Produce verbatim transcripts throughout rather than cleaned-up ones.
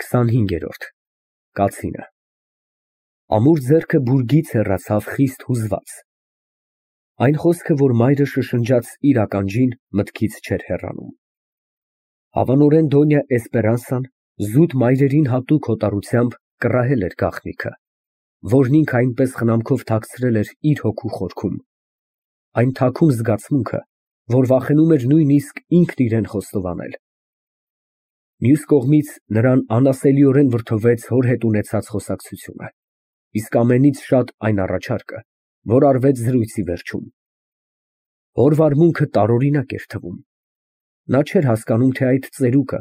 քսանհինգերորդ Կացինը Ամուր ձեռքը բուրգից հեռացավ խիստ հուզված։ Այն խոսքը, որ մայրը շշնջաց իր ականջին, մտքից չէր հեռանում։ Հավանորեն Դոնյա Էսպերանսան զուտ մայրերին հատուկ հոտառությամբ կռահել էր գաղտնիքը, որն ինքը այնպես խնամքով թաքցրել էր իր հոգու խորքում, այն թաքուն զգացմունքը, որ վախենում էր նույնիսկ ինքն իրան խոստովանել։ Մյուս կողմից, նրան անասելիորեն վրդովեց հոր հետ ունեցած խոսակցությունը, իսկ ամենից շատ այն առաջարկը, որ արվեց զրույցի վերջում։ Հոր վարմունքը տարօրինակ էր թվում։ Նա չէր հասկանում, թե այդ ծերուկը,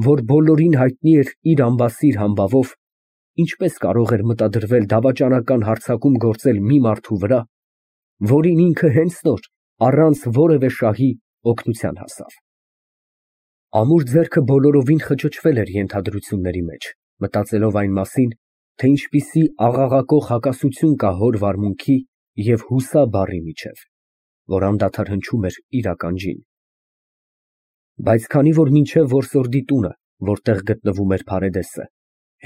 որ բոլորին հայտնի էր իր ամբասիր համբավով, ինչպես կարող էր մտադրվել դավաճանական հարձակում գործել մի մարդու վրա, որին ինքը հենց նոր, առանց որևէ շահի, օգնության հասավ։ Ամուր ձեռքը բոլորովին խճճվել էր ենթադրությունների մեջ, մտածելով այն մասին, թե ինչպիսի աղաղակող հակասություն կա հոր վարմունքի և հուսա բառի միջև, որ անդադար հնչում էր իր ականջին։ Բայց քանի որ մինչև որսորդի տունը, որտեղ գտնվում էր Փարեդեսը,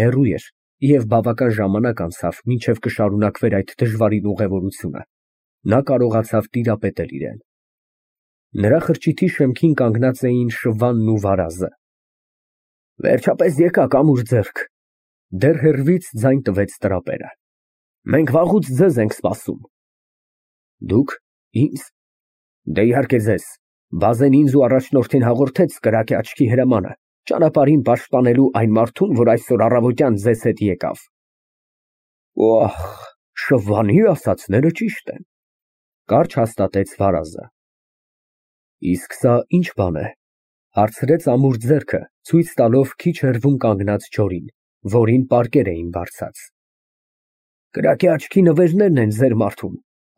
հեռու էր և բավական ժամանակ անցավ, մինչև կշարունակվեր այդ դժվարին ուղևորությունը, նա կարողացավ տիրապետել իրան։ Նրա խրճիթի շեմքին կանգնած էին Շվանն ու Վարազը։ Վերջապես եկաք, ամուր ձեռք, դեռ հեռվից ձայն տվեց տրապերը։ Մենք վաղուց ձեզ ենք սպասում։ Դուք, ինձ։ Դե իհարկե ձեզ, բազեն ինձ ու առաջնորդին հաղորդեց կրակե աչքի հրամանը, ճանապարհին պաշտպանելու այն մարդուն, որ այսօր առավոտյան ձեզ հետ եկավ։ Օհ, Շվանի ասածները ճիշտ են, կարճ հաստատեց Վարազը։ Իսկ սա ի՞նչ բան է, հարցրեց ամուր ձեռքը, ցույց տալով քիչ հեռվում կանգնած չորին, որին պարկեր էին բարձած։ Կրակե աչքի նվերներն են ձեր մարդուն,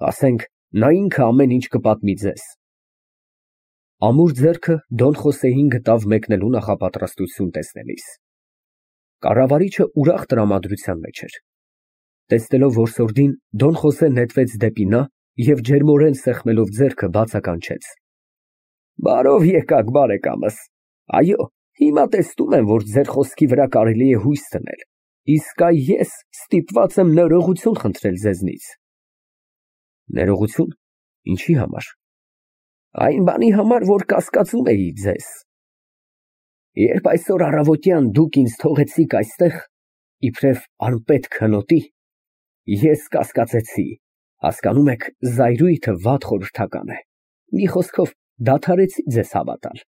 ասենք, նա ինքը ամեն ինչ կպատմի ձեզ։ Ամուր ձեռքը Դոն Խոսեին գտավ մեկնելու նախապատրաստություն տեսնելիս։ Կառավարիչը ուրախ տրամադրության մեջ էր։ Տեսնելով որսորդին, Դոն Խոսեն նետվեց դեպի նա և ջերմորեն սեղմելով ձեռքը բացականչեց. Բարով եկաք, բարեկամս, այո, հիմա տեսնում եմ, որ ձեր խոսքի վրա կարելի է հույս դնել, իսկ այ ես ստիպված եմ ներողություն խնդրել ձեզնից։ Ներողություն, ինչի համար։ Այն բանի համար, որ կասկածում էի ձեզ։ Երբ այսօր առավոտյան դուք ինձ թողեցիք այստեղ, իբրև անպետք հնոտի, ես կասկածեցի, հասկանում եք, զայրույթը վատ խորհրդական է, մի խոսքով, դադարեցի ձեզ հավատալ։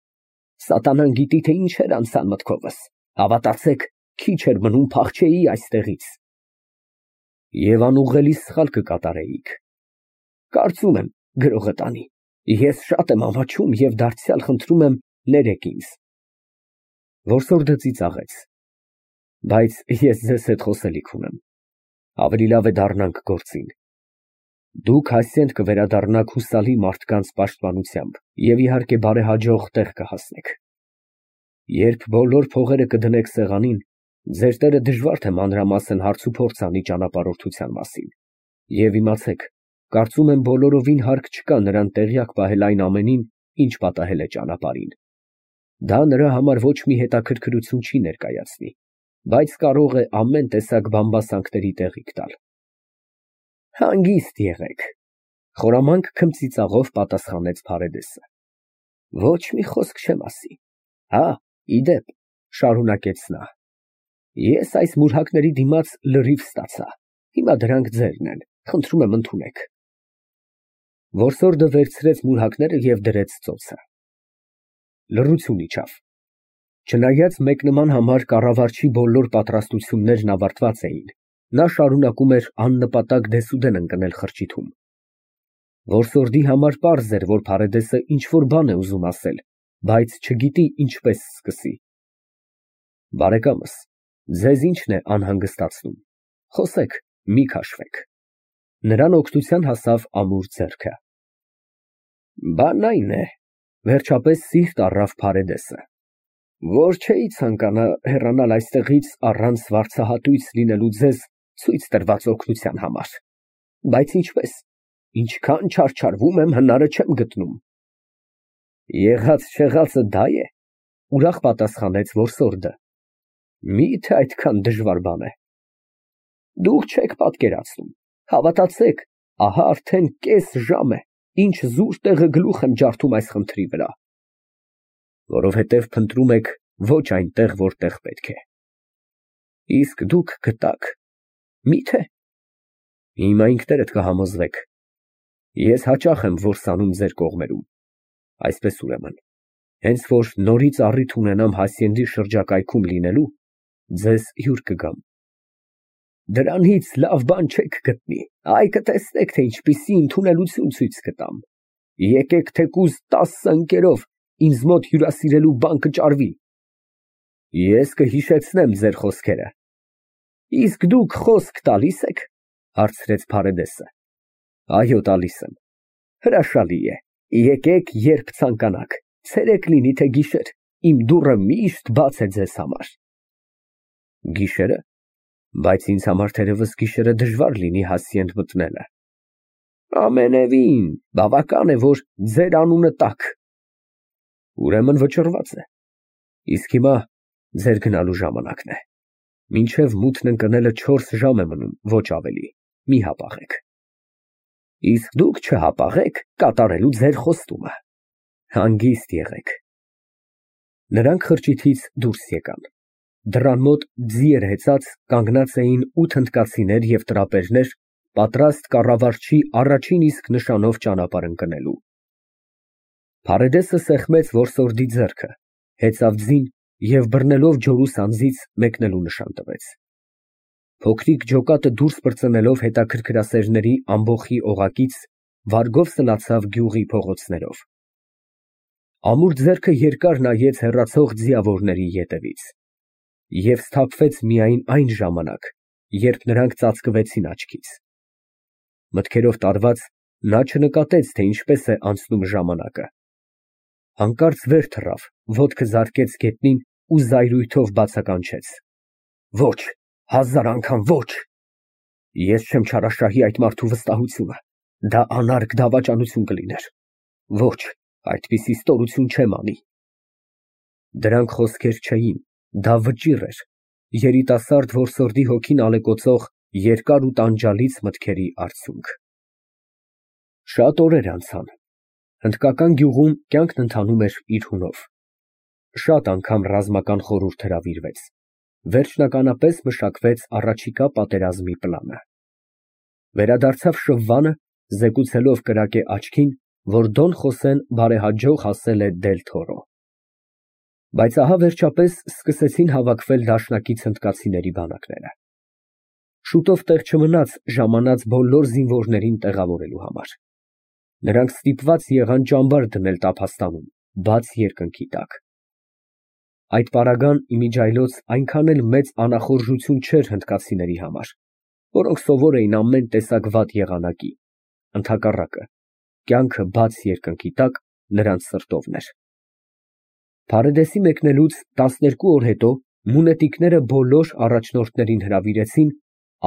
Սատանան գիտի, թե ինչեր անցան մտքովս, հավատացեք, քիչ էր մնում փախչեի այստեղից։ Եվ անուղղելի սխալ կկատարեիք։ Կարծում եմ, գրողը տանի, ես շատ եմ ամաչում և դարձյալ խնդրում եմ, ներեք ինձ։ Որսորդը ծիծաղեց։ Բայց ես ձեզ հետ խոսելիք ունեմ, ավելի լավ է դառնանք գործին։ Դուք հասցեն կվերադառնաք հուսալի մարդկանց պաշտպանությամբ և իհարկե բարեհաջող տեղ կհասնեք։ Երբ բոլոր փողերը կդնեք սեղանին, ձեր տերը դժվար թե մանրամասն հարցուփորձ անի ճանապարհորդության մասին։ Եվ իմացեք, կարծում եմ բոլորովին հարկ չկա նրան տեղյակ պահել այն ամենին, ինչ պատահել է ճանապարհին։ Դա նրա համար ոչ մի հետաքրքրություն չի ներկայացնի, բայց կարող է ամեն տեսակ բամբասանքների տեղիք տալ։ Հանգիստ եղեք, խորամանկ քմծիծաղով պատասխանեց Փարեդեսը։ Ոչ մի խոսք չեմ ասի։ Հա, ի դեպ, շարունակեց նա, ես այս մուրհակների դիմաց լրիվ ստացա, հիմա դրանք ձերն են, խնդրում եմ ընդունեք։ Որսորդը վերցրեց մուրհակները և դրեց ծոցը։ Լռություն իջավ։ Չնայած մեկնման համար կառավարչի բոլոր պատրաստություններն ավարտված էին, նա շարունակում էր աննպատակ դեսուդեն ընկնել խրճիթում։ Որսորդի համար պարզ էր, որ Փարեդեսը ինչ-որ բան է ուզում ասել, բայց չգիտի ինչպես սկսի։ Բարեկամս, ձեզ ի՞նչն է անհանգստացնում, խոսեք, մի քաշվեք։ Նրան օգնության հասավ ամուր ձեռքը։ Բանն այն է, վերջապես սիրտ առավ Փարեդեսը, որ չէի ցանկանա հեռանալ այստեղից առանց վարձահատույց լինելու ձեզ ցույց տրված օգնության համար, բայց ինչպես, ինչքան չարչարվում եմ, հնարը չեմ գտնում։ Եղած չեղածը դա է, ուրախ պատասխանեց որսորդը։ Մի՞թե այդքան դժվար բան է։ Դուք չեք պատկերացնում, հավատացեք, ահա արդեն կես ժամ է, ինչ զուր տեղը գլուխ եմ ջարդում այս խնդրի վրա։ Որովհետև փնտրում եք ոչ այնտեղ, որտեղ պետք է։ Իսկ դուք գտաք։ Մի՞թե։ Հիմա ինքներդ կհամոզվեք։ Ես հաճախ եմ որսանում ձեր կողմերում։ Այսպես ուրեմն, հենց որ նորից առիթ ունենամ Հասցենդի շրջակայքում լինելու, ձեզ հյուր կգամ։ Դրանից լավ բան չեք գտնի, այ կտեսնեք, թե ինչպիսի ընդունելություն ցույց կտամ։ Եկեք թեկուզ տասը ընկերով ինձ մոտ հյուրասիրելու բան կճարվի։ Ես կհիշեցնեմ ձեր խոսքերը։ Իսկ դուք խոսք տալի՞ս եք, հարցրեց Փարեդեսը։ Այո, տալիս եմ։ Հրաշալի է, եկեք երբ ցանկանաք, ցերեկ լինի թե գիշեր, իմ դուռը միշտ բաց է ձեզ համար։ Գիշերը, բայց ինձ համար թերևս գիշերը դժվար լինի Հասցենդ մտնելը։ Ամենևին, բավական է, որ ձեր անունը տաք։ Ուրեմն վճռված է։ Իսկ հիմա ձեր գնալու ժամանակն է։ Մինչև մութն ընկնելը չորս ժամ է մնում, ոչ ավելի, մի հապաղեք։ Իսկ դուք չհապաղեք կատարելու ձեր խոստումը։ Հանգիստ եղեք։ Նրանք խրճիթից դուրս եկան։ Դռան մոտ ձիեր հեծած կանգնած էին ութ հնդկացիներ և տրապերներ, պատրաստ կառավարչի առաջին իսկ նշանով ճանապարհ ընկնելու։ Փարեդեսը սեղմեց որսորդի ձեռքը, հեծավ ձին և բռնելով ջորուս անձից մեկնելու նշան տվեց։ Փոքրիկ ջոկատը դուրս պրծնելով հետաքրքրասերների ամբոխի օղակից, վարգով սլացավ գյուղի փողոցներով։ Ամուր ձեռքը երկար նայեց հեռացող ձիավորների ետևից և սթափվեց միայն այն ժամանակ, երբ նրանք ծածկվեցին աչքից։ Մտքերով տարված, նա չնկատեց, թե ինչպես է անցնում ժամանակը։ Հանկարծ վեր թռավ, ոտքը զարկեց գետնին ու զայրույթով բացականչեց. Ոչ, հազար անգամ ոչ։ Ես չեմ չարաշահի այդ մարդու վստահությունը, դա անարգ դավաճանություն կլիներ։ Ոչ, այդպիսի ստորություն չեմ անի։ Դրանք խոսքեր չէին, դա վճիռ էր, երիտասարդ որսորդի հոգին ալեկոծող երկար ու տանջալից մտքերի արդյունք։ Շատ օրեր անցան։ Հնդկական գյուղում կյանքն ընթանում էր իր հունով։ Շատ անգամ ռազմական խորհուրդ հրավիրվեց։ Վերջնականապես մշակվեց առաջիկա պատերազմի պլանը։ Վերադարձավ Շվվանը, զեկուցելով կրակե աչքին, որ Դոն Խոսեն բարեհաջող հասել է Դել Թորո։ Բայց ահա վերջապես սկսեցին հավաքվել դաշնակից հնդկացիների բանակները։ Շուտով տեղ չմնաց ժամանած բոլոր զինվորներին տեղավորելու համար։ Նրանք ստիպված եղան ճամբար դնել Տափաստանում, բաց երկնքի տակ։ Այդ պարագան իմիջիայլոց այնքան էլ մեծ անախորժություն չէր հնդկացիների համար, որոնք սովոր էին ամեն տեսակ վատ եղանակի, ընդհակառակը, կյանքը բաց երկնքի տակ նրանց սրտովն էր։ Փարեդեսի մեկնելուց տասներկու օր հետո մունետիկները բոլոր առաջնորդներին հրավիրեցին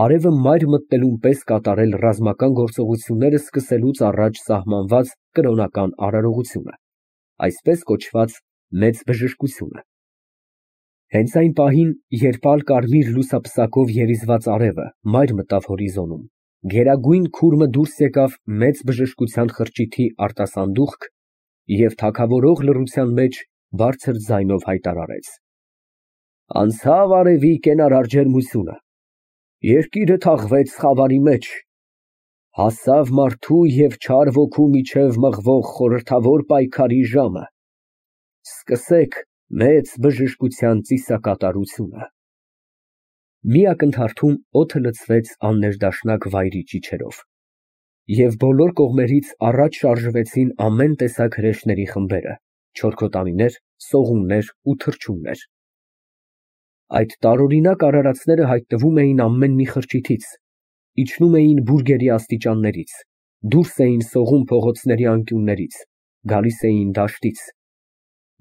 արևը մայր մտնելուն պես կատարել ռազմական գործողությունները սկսելուց առաջ սահմանված կրոնական արարողությունը, այսպես կոչված մեծ բժշկությունը։ Հենց այն պահին, երբ ալ֊կարմիր լուսապսակով երիզված արևը մայր մտավ հորիզոնում, գերագույն քուրմը դուրս եկավ մեծ բժշկության խրճիթի արտասանդուղք և թագավորող լռության մեջ բարձր ձայնով հայտարարեց. Անցավ արևի կենարար ջերմությունը, երկիրը թաղվեց խավարի մեջ, հասավ մարդու և չար ոգու միջև մղվող խորհրդավոր պայքարի ժամը, սկսեք մեծ բժշկության ծիսակատարությունը։ Մի ակնթարթում օդը լցվեց աններդաշնակ վայրի ճիչերով, և բոլոր կողմերից առաջ շարժվեցին ամեն տեսակ հրեշների խմբերը, չորքոտանիներ, սողուններ ու թռչուններ։ Այդ տարօրինակ արարածները հայտնվում էին ամեն մի խրճիթից, իջնում էին բուրգերի աստիճաններից, դուրս էին սողուն փողոցների անկյուններից, գալիս էին դաշտից։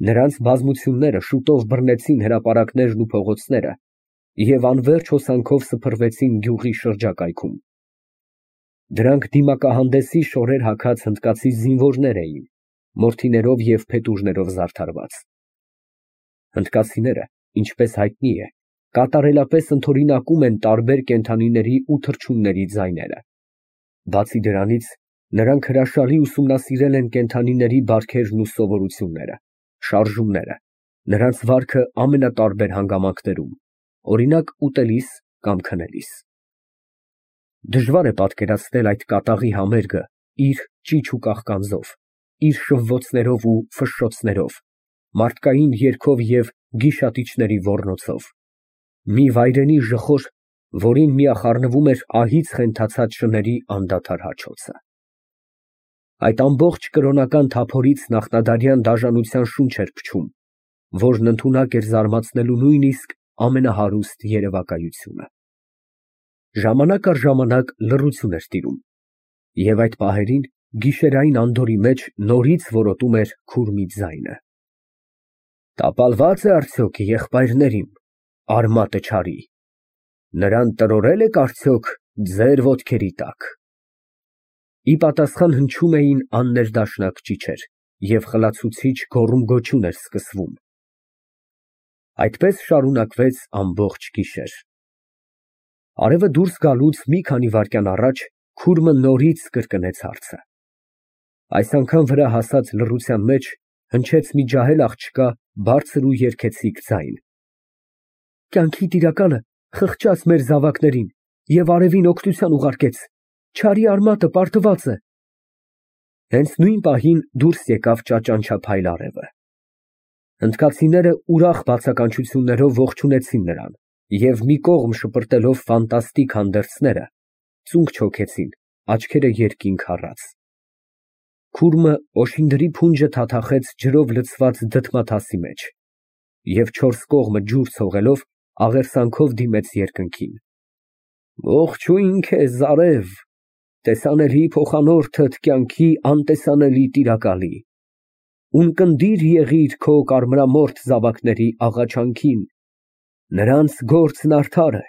Նրանց բազմությունները շուտով բռնեցին հրապարակներն ու փողոցները և անվերջ հոսանքով սփռվեցին գյուղի շրջակայքում։ Դրանք դիմակահանդեսի շորեր հագած հնդկացի զինվորներ էին, մորթիներով և փետուրներով զարդարված։ Հնդկացիները, ինչպես հայտնի է, կատարելապես ընդօրինակում են տարբեր կենդանիների ու թռչունների ձայները։ Բացի դրանից, նրանք հրաշալի ուսումնասիրել են կենդանիների բարքերն ու սովորությունները, շարժումները, նրանց վարքը ամենատարբեր հանգամանքներում, օրինակ ուտելիս կամ քնելիս։ Դժվար է պատկերացնել այդ կատաղի համերգը իր ճիչ ու կաղկանձով, իր շվվոցներով ու ֆշշոցներով, մարդկային երգով և գիշատիչների ոռնոցով, մի վայրենի ժխոր, որին միախառնվում էր ահից խենթացած շների անդադար հաչոցը։ Այդ ամբողջ կրոնական թափորից նախնադարյան դաժանության շունչ էր փչում, որն ընդունակ էր զարմացնելու նույնիսկ ամենահարուստ երևակայությունը։ Ժամանակ առ ժամանակ լռություն էր տիրում, և այդ պահերին գիշերային անդորրի մեջ նորից որոտում էր քուրմի ձայնը։ Տապալվա՞ծ է արդյոք եղբայրներիմ, արմատը չարի, նրան տրորե՞լ եք արդյոք ձեր ոտքերի տակ։ Ի պատասխան հնչում էին աններդաշնակ ճիչեր, և խլացուցիչ գոռում֊գոչյուն էր սկսվում։ Այդպես շարունակվեց ամբողջ գիշեր։ Արևը դուրս գալուց մի քանի վայրկյան առաջ քուրմը նորից կրկնեց հարցը։ Այս անգամ վրա հասած լռության մեջ հնչեց մի ջահել աղջկա բարձր ու երգեցիկ ձայն։ Կյանքի տիրակալը խղճաց մեր զավակներին և արևին օգնության ուղարկեց, չարի արմատը պարտված է։ Հենց նույն պահին դուրս եկավ ճաճանչափայլ արևը։ Հնդկացիները ուրախ բացականչություններով ողջունեցին նրան և մի կողմ շպրտելով ֆանտաստիկ հանդերձները, ծունկ չոքեցին, աչքերը երկինք առած։ Քուրմը օշինդրի փունջը թաթախեց ջրով լցված դդմաթասի մեջ և չորս կողմը ջուր ցողելով աղերսանքով դիմեց երկնքին։ Ողջույն քեզ, արև, տեսանելի փոխանորդդ կյանքի անտեսանելի տիրակալի, ունկնդիր եղիր քո կարմրամորթ զավակների աղաչանքին, նրանց գործն արդար է,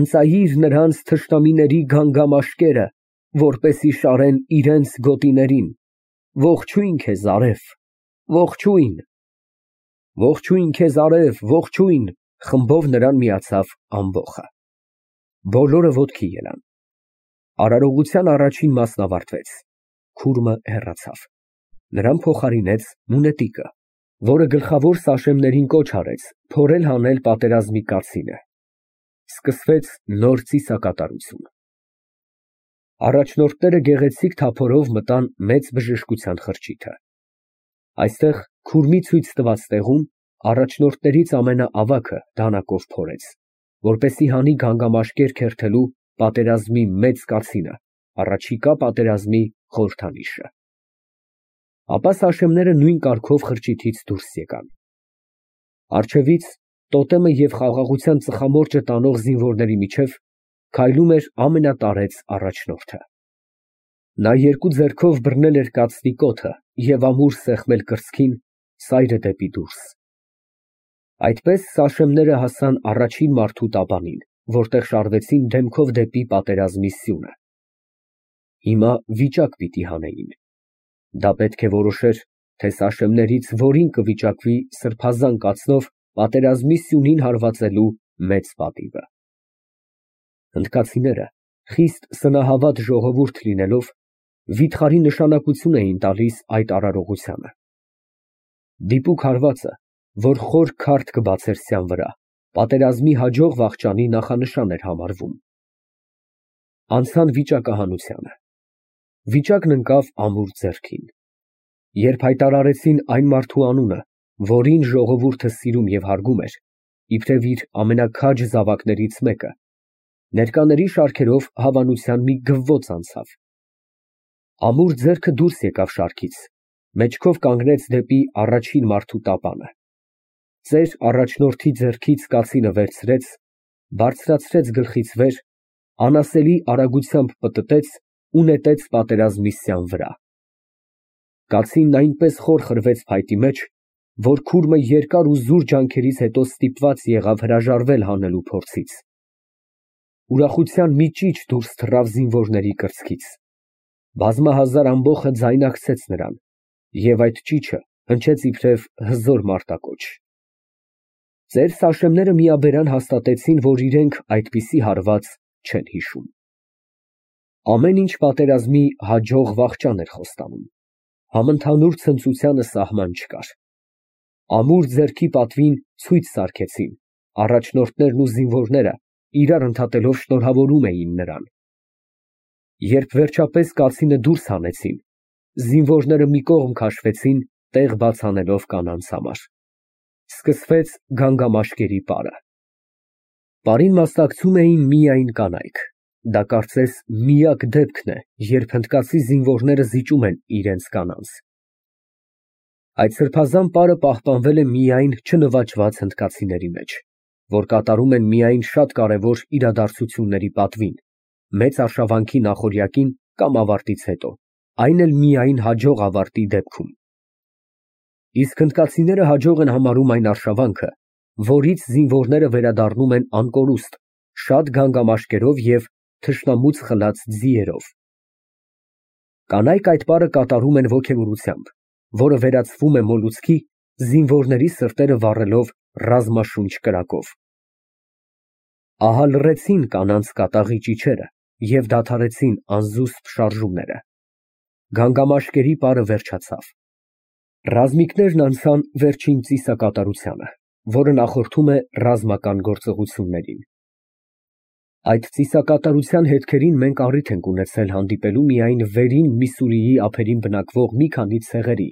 ընծայիր նրանց թշնամիների գանգամաշկերը, որպեսզի շարեն իրենց գոտիներին, ողջույն քեզ, արև, ողջույն։ Ողջույն քեզ, արև, ողջույն, խմբով նրան միացավ ամբոխը։ Բոլորը ոտքի ելան։ Արարողության առաջին մասն ավարտվեց, քուրմը հեռացավ։ Նրան փոխարինեց մունետիկը, որը գլխավոր սաշեմներին կոչ արեց փորել հանել պատերազմի կացինը։ Սկսվեց նոր ծիսակատարություն։ Առաջնորդները գեղեցիկ թափորով մտան մեծ բժշկության խրճիթը։ Այստեղ քուրմի ցույց տված տեղում առաջնորդներից ամենաավագը դանակով փորեց, որպեսզի հանի գանգամաշկեր քերթելու պատերազմի մեծ կացինը, առաջիկա պատերազմի խորհրդանիշը։ Ապա սաշեմները նույն կարգով խրճիթից դուրս եկան։ Առջևից տոտեմը և խաղաղության ծխամորճը տանող զինվորների միջև քայլում էր ամենատարեց առաջնորդը։ Նա երկու ձեռքով բռնել էր կացնի կոթը և ամուր սեղմել կրծքին, սայրը դեպի դուրս։ Այդպես սաշեմները հասան առաջին մարդու տապանին, որտեղ շարվեցին դեմքով դեպի պատերազմի սյունը։ Հիմա վիճակ պիտի հանեին։ Դա պետք է որոշեր, թե սաշեմներից որին կվիճակվի սրբազան կացնով պատերազմի սյունին հարվածելու մեծ պատիվը։ Հնդկացիները, խիստ սնահավատ ժողովուրդ լինելով, վիթխարի նշանակություն էին տալիս այդ արարողությանը։ Դիպուկ հարվածը, որ խոր քարդ կբացեր սյան վրա, պատերազմի հաջող վախճանի նախանշան էր համարվում։ Անցան վիճակահանությանը։ Վիճակն ընկավ ամուր ձեռքին։ Երբ հայտարարեցին այն մարդու անունը, որին ժողովուրդը սիրում և հարգում էր, իբրև իր ամենաքաջ զավակներից մեկը, ներկաների շարքերով հավանության մի գվվոց անցավ։ Ամուր ձեռքը դուրս եկավ շարքից, մեջքով կանգնեց դեպի առաջին մարդու տապանը։ Ծեր առաջնորդի ձեռքից կացինը վերցրեց, բարձրացրեց գլխից վեր, անասելի արագությամբ պտտեց ու նետեց պատերազմի սյան վրա։ Կացինն այնպես խոր խրվեց փայտի մեջ, որ քուրմը երկար ու զուր ջանքերից հետո ստիպված եղավ հրաժարվել հանելու փորձից։ Ուրախության մի ճիչ դուրս թռավ զինվորների կրծքից։ Բազմահազար ամբոխը ձայնակցեց նրան, և այդ ճիչը հնչեց իբրև հզոր մարտակոչ։ Ծեր Սաշեմները միաբերան հաստատեցին, որ իրենք այդպիսի հարված չեն հիշում։ Ամեն ինչ պատերազմի հաջող վախճան էր խոստանում, համընդհանուր ցնծությանը սահման չկար։ Ամուր ձեռքի պատվին ցույց սարքեցին, առաջնորդներն ու զինվորները իրար ընդհատելով շնորհավորում էին նրան։ Երբ վերջապես կացինը դուրս հանեցին, զինվորները մի կողմ քաշվեցին, տեղ բաց անելով կանանց համար։ Սկսվեց գանգամաշկերի պարը։ Պարին մասնակցում էին միայն կանայք։ Դա կարծես միակ դեպքն է, երբ հնդկացի զինվորները զիջում են իրենց կանանց։ Այդ սրբազան պարը պահպանվել է միայն չնվաճված հնդկացիների մեջ, որ կատարում են միայն շատ կարևոր իրադարձությունների պատվին, մեծ արշավանքի նախօրյակին կամ ավարտից հետո, այն էլ միայն հաջող ավարտի դեպքում։ Իսկ հնդկացիները հաջող են համարում այն արշավանքը, որից զինվորները վերադառնում են անկորուստ, շատ գանգամաշկերով և թշնամուց խլած ձիերով։ Կանայք այդ պարը կատարում են ոգևորությամբ, որը վերածվում է մոլուցքի, զինվորների սրտերը վառելով ռազմաշունչ կրակով։ Ահա լռեցին կանանց կատաղի ճիչերը և դադարեցին անզուսպ շարժումները։ Գանգամաշկերի պարը վերջացավ։ Ռազմիկներն անցան վերջին ծիսակատարությանը, որը նախորդում է ռազմական գործողություններին։ Այդ ծիսակատարության հետքերին մենք առիթ ենք ունեցել հանդիպելու միայն վերին Միսսուրիի ափերին բնակվող մի քանի ցեղերի,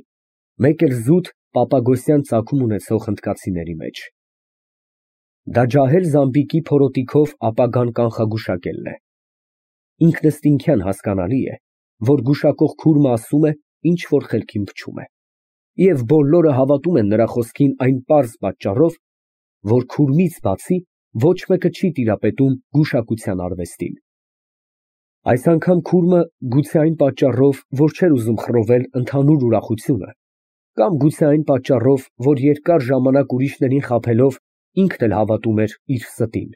մեկ էլ զուտ պապագոսյան ծագում ունեցող հնդկացիների մեջ։ Դա ջահել Զամբիկի փորոտիքով ապագան կանխագուշակելն է։ Ինքնըստինքյան հասկանալի է, որ գուշակող քուրմը ասում է, ինչ որ խելքին փչում է, և բոլորը հավատում են նրա խոսքին այն պարզ պատճառով, որ քուրմից բացի ոչ մեկը չի տիրապետում գուշակության արվեստին։ Այս անգամ քուրմը գուցե այն պատճառով, որ չէր ուզում խռովել ընդհանուր ուրախությունը, կամ գուցե այն պատճառով, որ երկար ժամանակ ուրիշներին խաբելով ինքն էլ հավատում էր իր ստին,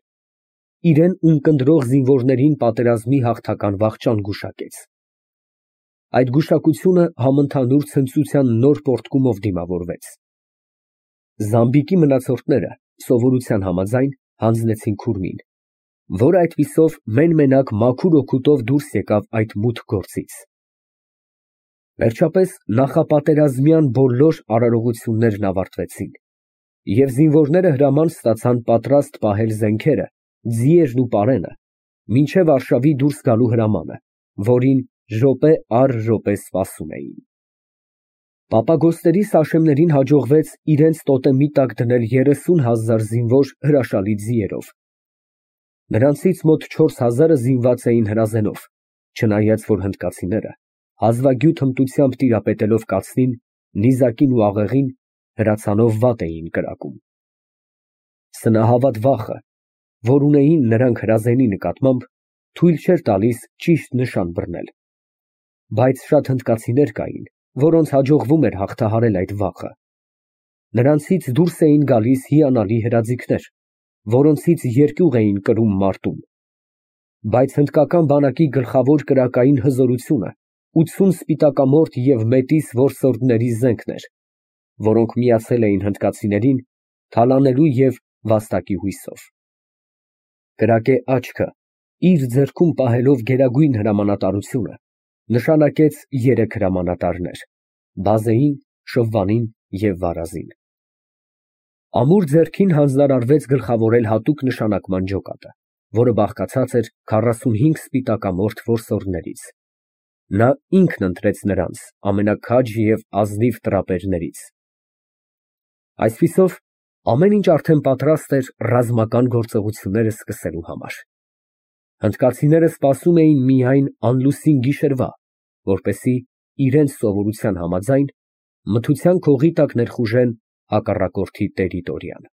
իրեն ունկնդրող զինվորներին պատերազմի հաղթական վախճան գուշակեց։ Այդ գուշակությունը համընդհանուր ցնծության նոր պոռթկումով դիմավորվեց։ Զամբիկի մնացորդները սովորության համաձայն հանձնեցին քուրմին, որը այդպիսով մեն֊մենակ մաքուր օգուտով դուրս եկավ այդ մութ գործից։ Վերջապես նախապատերազմյան բոլոր արարողություններն ավարտվեցին, և զինվորները հրաման ստացան պատրաստ պահել զենքերը, ձիերն ու պարենը, մինչև արշավի դուրս գալու հրամանը, որին րոպե առ րոպե սպասում էին։ Պապագոսների Սաշեմներին հաջողվեց իրենց տոտեմի տակ դնել երեսուն հազար զինվոր հրաշալի ձիերով։ Նրանցից մոտ չորս հազարը զինված էին հրազենով, չնայած որ հնդկացիները, հազվագյուտ հմտությամբ տիրապետելով կացնին, նիզակին ու աղեղին, հրացանով վատ էին կրակում։ Սնահավատ վախը, որ ունեին նրանք հրազենի նկատմամբ, թույլ չէր տալիս ճիշտ նշան բռնել։ Բայց շատ հնդկացիներ կային, որոնց հաջողվում էր հաղթահարել այդ վախը։ Նրանցից դուրս էին գալիս հիանալի հրաձիգներ, որոնցից երկյուղ էին կրում մարտում։ Բայց հնդկական բանակի գլխավոր կրակային հզորությունը ութսուն սպիտակամորթ և մետիս որսորդների զենքն էր, որոնք միացել էին հնդկացիներին թալանելու և վաստակի հույսով։ Կրակե աչքը, իր ձեռքում պահելով գերագույն հրամանատարությունը, նշանակեց երեք հրամանատարներ՝ բազեին, շվվանին և վարազին։ Ամուր ձեռքին հանձնարարվեց գլխավորել հատուկ նշանակման ջոկատը, որը բաղկացած էր քառասունհինգ սպիտակամորթ որսորդներից։ Նա ինքն ընտրեց նրանց ամենաքաջ և ազնիվ տրապերներից։ Այսպիսով, ամեն ինչ արդեն պատրաստ էր ռազմական գործողությունները սկսելու համար։ Հնդկացիները սպասում էին միայն անլուսին գիշերվա, որպեսզի իրենց սովորության համաձայն մթության քողի տակ ներխուժեն հակառակորդի տերիտորիան։